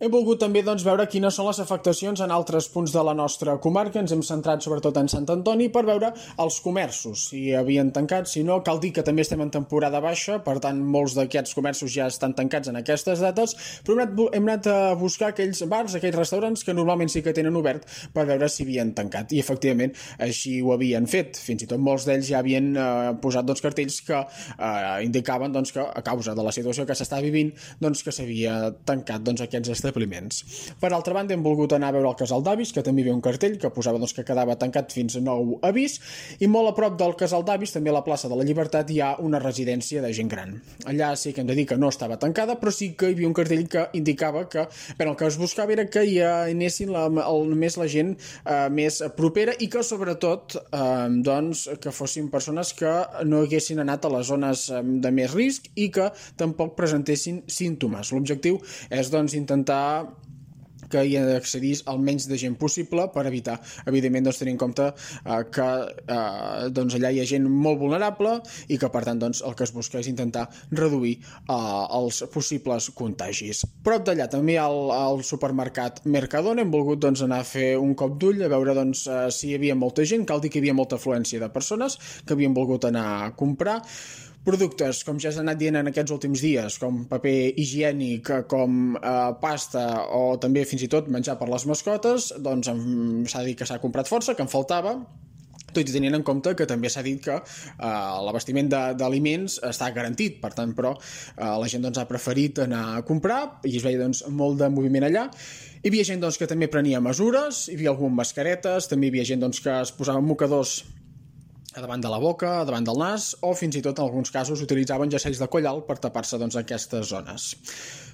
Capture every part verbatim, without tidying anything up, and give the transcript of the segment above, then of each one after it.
Hem volgut també doncs, veure quines són les afectacions en altres punts de la nostra comarca. Ens hem centrat sobretot en Sant Antoni per veure els comerços, si havien tancat, si no. Cal dir que també estem en temporada baixa, per tant molts d'aquests comerços ja estan tancats en aquestes dates, però hem anat, hem anat a buscar aquells bars, aquells restaurants que normalment sí que tenen obert per veure si havien tancat, i efectivament així ho havien fet. Fins i tot molts d'ells ja havien eh, posat doncs, cartells que eh, indicaven doncs, que a causa de la situació que s'està vivint doncs, que s'havia tancat doncs, aquests establiments. Per altra banda, hem volgut anar a veure el Casal d'Avis, que també hi havia un cartell que posava doncs, que quedava tancat fins a nou avís, i molt a prop del Casal d'Avis, també a la plaça de la Llibertat, hi ha una residència de gent gran. Allà sí que hem de dir que no estava tancada, però sí que hi havia un cartell que indicava que bé, el que es buscava era que hi anessin la, el, més la gent eh, més propera i que sobretot eh, doncs, que fossin persones que no haguessin anat a les zones de més risc i que tampoc presentessin símptomes. L'objectiu és doncs, intentar que hi accedís al menys de gent possible per evitar, evidentment, doncs, tenir en compte eh, que eh, doncs, allà hi ha gent molt vulnerable i que, per tant, doncs, el que es busca és intentar reduir eh, els possibles contagis. Prop d'allà també hi ha el, el supermercat Mercadona. Hem volgut doncs, anar a fer un cop d'ull a veure doncs, eh, si hi havia molta gent. Cal dir que hi havia molta afluència de persones que havien volgut anar a comprar. Productes, com ja s'ha anat dient en aquests últims dies, com paper higiènic, com eh, pasta o també fins i tot menjar per les mascotes, doncs s'ha dit que s'ha comprat força, que en faltava, tot i tenint en compte que també s'ha dit que eh, l'abastiment d'aliments està garantit, per tant, però eh, la gent doncs, ha preferit anar a comprar i es veia doncs, molt de moviment allà. Hi havia gent doncs, que també prenia mesures, hi havia algunes mascaretes, també hi havia gent doncs, que es posava mocadors a davant de la boca, a davant del nas, o fins i tot en alguns casos utilitzaven jessells de collal per tapar-se doncs, aquestes zones.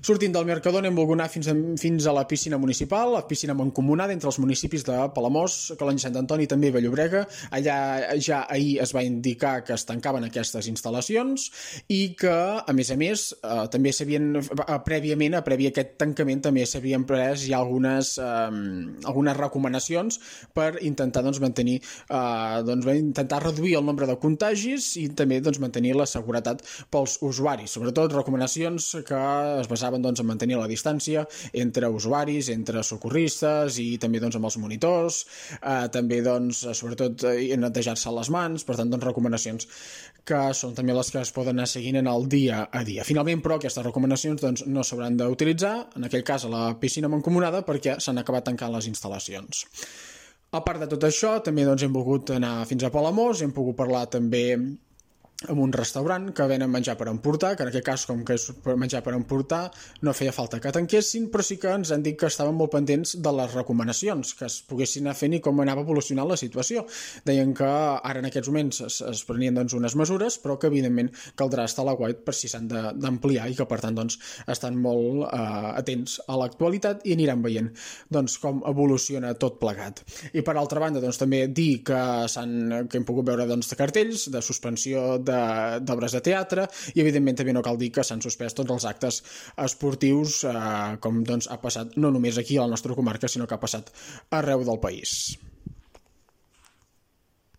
Sortint del Mercadona hem volgut anar fins a, fins a la piscina municipal, la piscina mancomunada entre els municipis de Palamós, Calonge, Sant Antoni i també Vall-llobrega. Allà ja ahir es va indicar que es tancaven aquestes instal·lacions i que, a més a més, eh, també s'havien, prèviament, a previ a aquest tancament, també s'havien pres ja algunes, eh, algunes recomanacions per intentar doncs, mantenir, eh, doncs, intentar reduir el nombre de contagis i també doncs, mantenir la seguretat pels usuaris. Sobretot recomanacions que es basaven doncs, en mantenir la distància entre usuaris, entre socorristes i també doncs, amb els monitors, eh, també doncs, sobretot eh, netejar-se les mans, per tant doncs, recomanacions que són també les que es poden anar seguint en el dia a dia. Finalment, però, aquestes recomanacions doncs, no s'hauran d'utilitzar, en aquell cas a la piscina mancomunada, perquè s'han acabat tancant les instal·lacions. A part de tot això, també doncs, hem volgut anar fins a Palamós, hem pogut parlar també amb un restaurant que venen menjar per emportar, que en aquest cas, com que és menjar per emportar, no feia falta que tanquessin, però sí que ens han dit que estaven molt pendents de les recomanacions, que es poguessin anar fent i com anava evolucionant la situació. Deien que ara en aquests moments es, es prenien doncs, unes mesures, però que evidentment caldrà estar a l'aguait per si s'han d'ampliar i que per tant doncs, estan molt eh, atents a l'actualitat i aniran veient doncs, com evoluciona tot plegat. I per altra banda doncs, també dir que, que hem pogut veure doncs, cartells de suspensió de d'obres de teatre i evidentment també no cal dir que s'han suspès tots els actes esportius eh, com doncs ha passat no només aquí a la nostra comarca sinó que ha passat arreu del país.